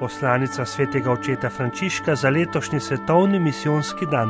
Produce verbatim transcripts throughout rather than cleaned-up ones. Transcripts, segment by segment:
Poslanica svetega očeta Frančiška za letošnji svetovni misijonski dan.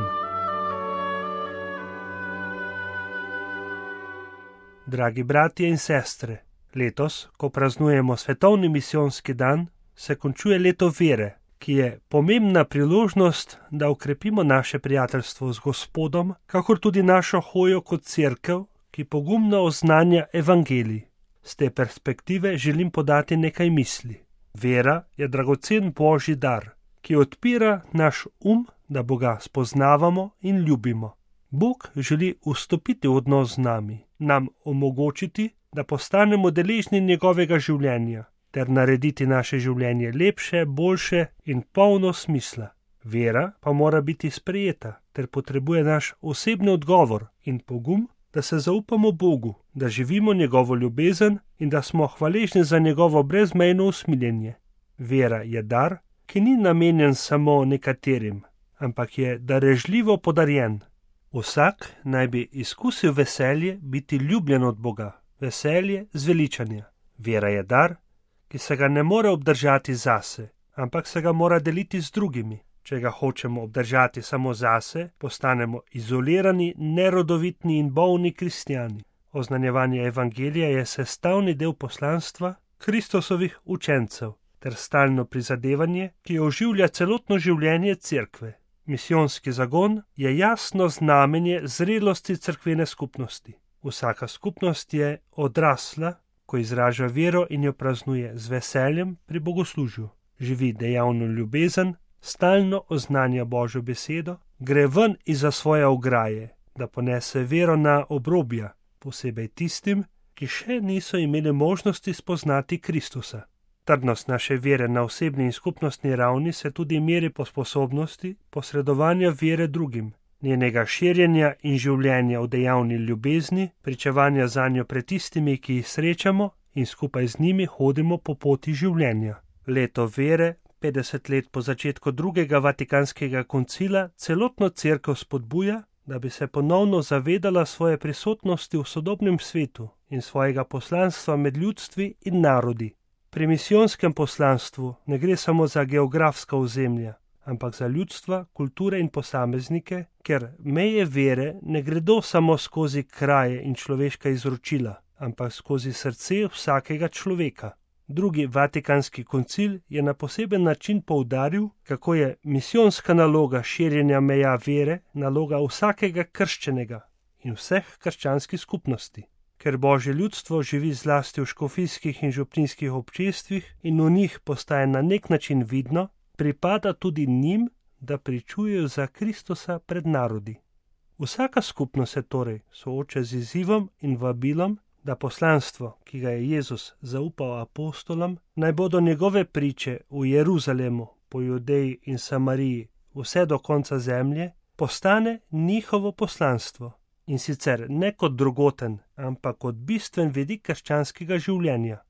Dragi bratje in sestre, letos, ko praznujemo svetovni misijonski dan, se končuje leto vere, ki je pomembna priložnost, da okrepimo naše prijateljstvo z Gospodom, kakor tudi našo hojo kot cerkev, ki pogumno oznanja evangelij. Z te perspektive želim podati nekaj misli. Vera je dragocen Božji dar, ki odpira naš um, da Boga spoznavamo in ljubimo. Bog želi vstopiti v odnos z nami, nam omogočiti, da postanemo deležni njegovega življenja, ter narediti naše življenje lepše, boljše in polno smisla. Vera pa mora biti sprejeta, ter potrebuje naš osebni odgovor in pogum, da se zaupamo Bogu, da živimo njegovo ljubezen in da smo hvaležni za njegovo brezmejno usmiljenje. Vera je dar, ki ni namenjen samo nekaterim, ampak je darežljivo podarjen. Vsak naj bi izkusil veselje biti ljubljen od Boga, veselje zveličanja. Vera je dar, ki se ga ne more obdržati zase, ampak se ga mora deliti z drugimi. Če ga hočemo obdržati samo zase, postanemo izolirani, nerodovitni in bolni kristjani. Oznanjevanje evangelija je sestavni del poslanstva Kristusovih učencev ter stalno prizadevanje, ki oživlja celotno življenje cerkve. Misijonski zagon je jasno znamenje zrelosti cerkvene skupnosti. Vsaka skupnost je odrasla, ko izraža vero in jo praznuje z veseljem pri bogoslužju. Živi dejavno ljubezen, stalno oznanja Božjo besedo, gre ven izza svoje ograje, da ponese vero na obrobja, posebej tistim, ki še niso imeli možnosti spoznati Kristusa. Trdnost naše vere na osebni in skupnostni ravni se tudi meri po sposobnosti posredovanja vere drugim, njenega širjenja in življenja v dejavni ljubezni, pričevanja zanjo pred tistimi, ki jih srečamo in skupaj z njimi hodimo po poti življenja. Leto vere, petdeset let po začetku drugega vatikanskega koncila, celotno cerkev spodbuja, da bi se ponovno zavedala svoje prisotnosti v sodobnem svetu in svojega poslanstva med ljudstvi in narodi. Pri misijonskem poslanstvu ne gre samo za geografska ozemlja, ampak za ljudstva, kulture in posameznike, ker meje vere ne gredo samo skozi kraje in človeška izročila, ampak skozi srce vsakega človeka. Drugi vatikanski koncil je na poseben način poudaril, kako je misijonska naloga širjenja meja vere naloga vsakega krščenega in vseh krščanskih skupnosti. Ker Božje ljudstvo živi zlasti v škofijskih in župnijskih občestvih in v njih postaje na nek način vidno, pripada tudi njim, da pričujejo za Kristusa pred narodi. Vsaka skupnost se torej sooča z izzivom in vabilom, da poslanstvo, ki ga je Jezus zaupal apostolom, naj bodo njegove priče v Jeruzalemu, po Judeji in Samariji, vse do konca zemlje, postane njihovo poslanstvo. In sicer ne kot drugoten, ampak kot bistven vidik krščanskega življenja.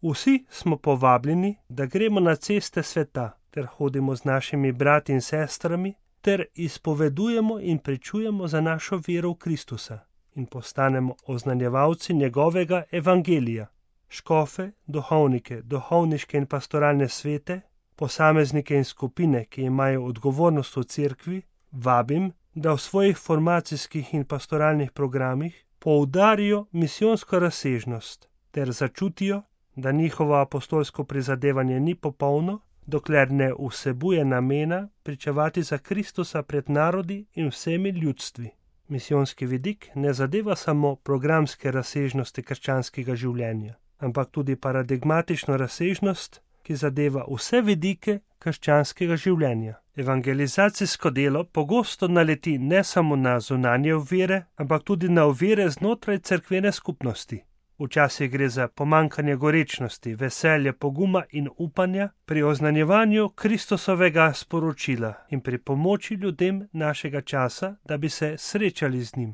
Vsi smo povabljeni, da gremo na ceste sveta, ter hodimo z našimi brati in sestrami, ter izpovedujemo in pričujemo za našo vero v Kristusa in postanemo oznanjevalci njegovega evangelija. Škofe, duhovnike, duhovniške in pastoralne svete, posameznike in skupine, ki imajo odgovornost v cerkvi, vabim, da v svojih formacijskih in pastoralnih programih poudarijo misijonsko razsežnost ter začutijo, da njihovo apostolsko prizadevanje ni popolno, dokler ne vsebuje namena pričevati za Kristusa pred narodi in vsemi ljudstvi. Misijonski vidik ne zadeva samo programske razsežnosti krščanskega življenja, ampak tudi paradigmatično razsežnost, ki zadeva vse vidike krščanskega življenja. Evangelizacijsko delo pogosto naleti ne samo na zunanje ovire, ampak tudi na ovire znotraj cerkvene skupnosti. Včasih gre za pomanjkanje gorečnosti, veselja, poguma in upanja pri oznanjevanju Kristusovega sporočila in pri pomoči ljudem našega časa, da bi se srečali z njim.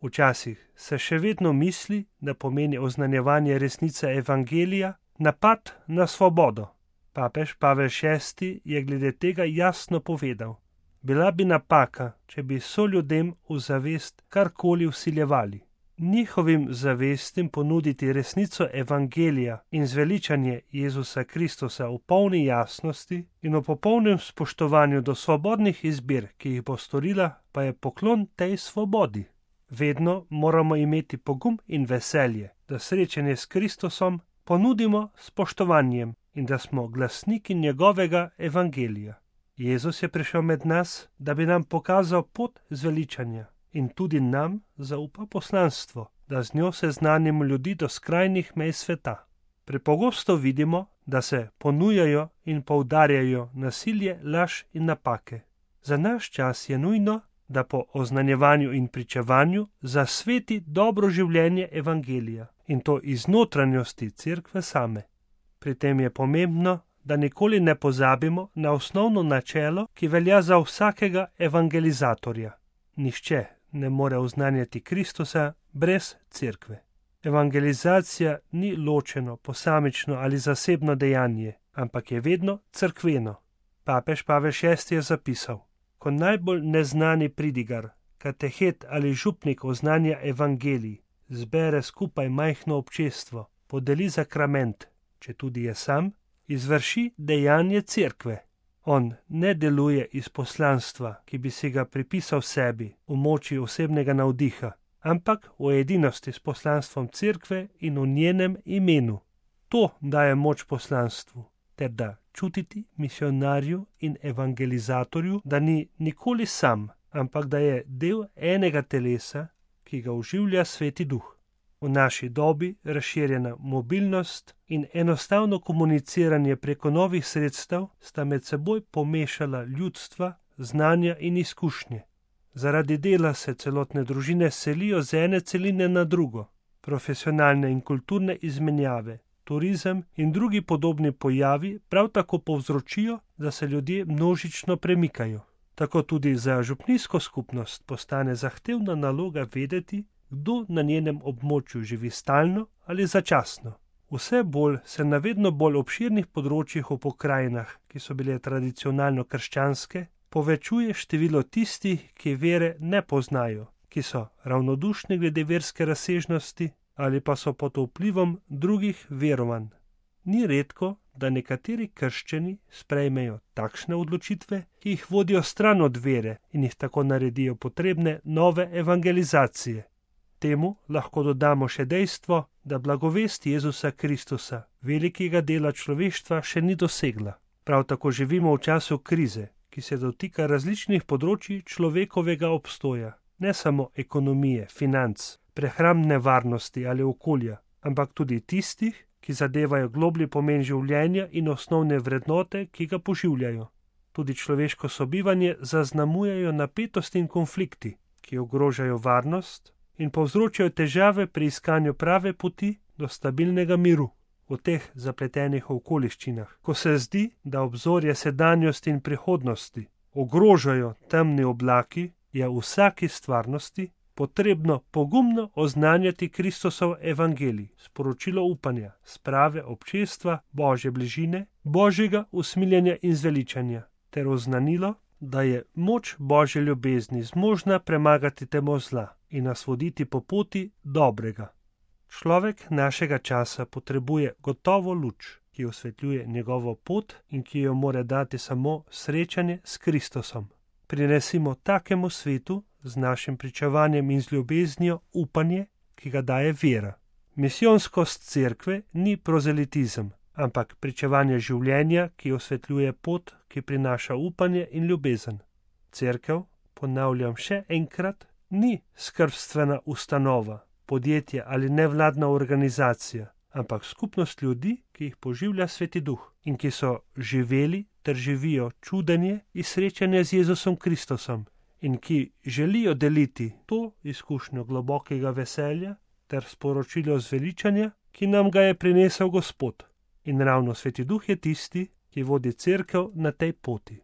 Včasih se še vedno misli, da pomeni oznanjevanje resnice evangelija napad na svobodo. Papež Pavel šesti je glede tega jasno povedal: bila bi napaka, če bi soljudem v zavest karkoli vsiljevali. njihovim zavestim ponuditi resnico evangelija in zveličanje Jezusa Kristusa v polni jasnosti in v popolnem spoštovanju do svobodnih izbir, ki jih bo storila, pa je poklon tej svobodi. Vedno moramo imeti pogum in veselje, da srečanje s Kristusom ponudimo spoštovanjem in da smo glasniki njegovega evangelija. Jezus je prišel med nas, da bi nam pokazal pot zveličanja in tudi nam zaupa poslanstvo, da z njo seznanimo ljudi do skrajnih mej sveta. Prepogosto vidimo, da se ponujajo in poudarjajo nasilje, laž in napake. Za naš čas je nujno, da po oznanjevanju in pričevanju zasveti dobro življenje evangelija in to iz notranjosti cerkve same. Pri tem je pomembno, da nikoli ne pozabimo na osnovno načelo, ki velja za vsakega evangelizatorja. Nihče ne more oznanjati Kristusa brez cerkve. Evangelizacija ni ločeno, posamično ali zasebno dejanje, ampak je vedno cerkveno. Papež Pavel šesti je zapisal: ko najbolj neznani pridigar, katehet ali župnik oznanja evangelij, zbere skupaj majhno občestvo, podeli sakrament, če tudi je sam, izvrši dejanje cerkve. On ne deluje iz poslanstva, ki bi si ga pripisal sebi v moči osebnega navdiha, ampak v edinosti s poslanstvom cerkve in v njenem imenu. To daje moč poslanstvu, ter da čutiti misionarju in evangelizatorju, da ni nikoli sam, ampak da je del enega telesa, ki ga oživlja Sveti Duh. V naši dobi razširjena mobilnost in enostavno komuniciranje preko novih sredstev sta med seboj pomešala ljudstva, znanja in izkušnje. Zaradi dela se celotne družine selijo z ene celine na drugo. Profesionalne in kulturne izmenjave, turizem in drugi podobni pojavi prav tako povzročijo, da se ljudje množično premikajo. Tako tudi za župnijsko skupnost postane zahtevna naloga vedeti, kdo na njenem območju živi stalno ali začasno. Vse bolj se na vedno bolj obširnih področjih v pokrajinah, ki so bile tradicionalno krščanske, povečuje število tistih, ki vere ne poznajo, ki so ravnodušni glede verske razsežnosti ali pa so pod vplivom drugih verovanj. Ni redko, da nekateri krščani sprejmejo takšne odločitve, ki jih vodijo stran od vere in jih tako naredijo potrebne nove evangelizacije. Temu lahko dodamo še dejstvo, da blagovest Jezusa Kristusa, velikega dela človeštva, še ni dosegla. Prav tako živimo v času krize, ki se dotika različnih področji človekovega obstoja, ne samo ekonomije, financ, prehrambne varnosti ali okolja, ampak tudi tistih, ki zadevajo globlji pomen življenja in osnovne vrednote, ki ga poživljajo. Tudi človeško sobivanje zaznamujejo napetosti in konflikti, ki ogrožajo varnost in povzročajo težave pri iskanju prave poti do stabilnega miru v teh zapletenih okoliščinah, ko se zdi, da obzorje sedanjosti in prihodnosti ogrožajo temni oblaki, je v vsaki stvarnosti potrebno pogumno oznanjati Kristusov evangelij, sporočilo upanja, sprave občestva, Božje bližine, Božjega usmiljenja in zveličanja, ter oznanilo, da je moč Božje ljubezni zmožna premagati temo zla in nas voditi po poti dobrega. Človek našega časa potrebuje gotovo luč, ki osvetljuje njegovo pot in ki jo mora dati samo srečanje s Kristusom. Prinesimo takemu svetu z našim pričevanjem in z ljubeznijo upanje, ki ga daje vera. Misijonskost cerkve ni prozelitizem, ampak pričevanje življenja, ki osvetljuje pot, ki prinaša upanje in ljubezen. Cerkev, ponavljam še enkrat, ni skrbstvena ustanova, podjetje ali nevladna organizacija, ampak skupnost ljudi, ki jih poživlja Sveti Duh in ki so živeli ter živijo čudenje in srečanje z Jezusom Kristusom in ki želijo deliti to izkušnjo globokega veselja ter sporočilo zveličanja, ki nam ga je prinesel Gospod. In ravno Sveti Duh je tisti, ki vodi cerkev na tej poti.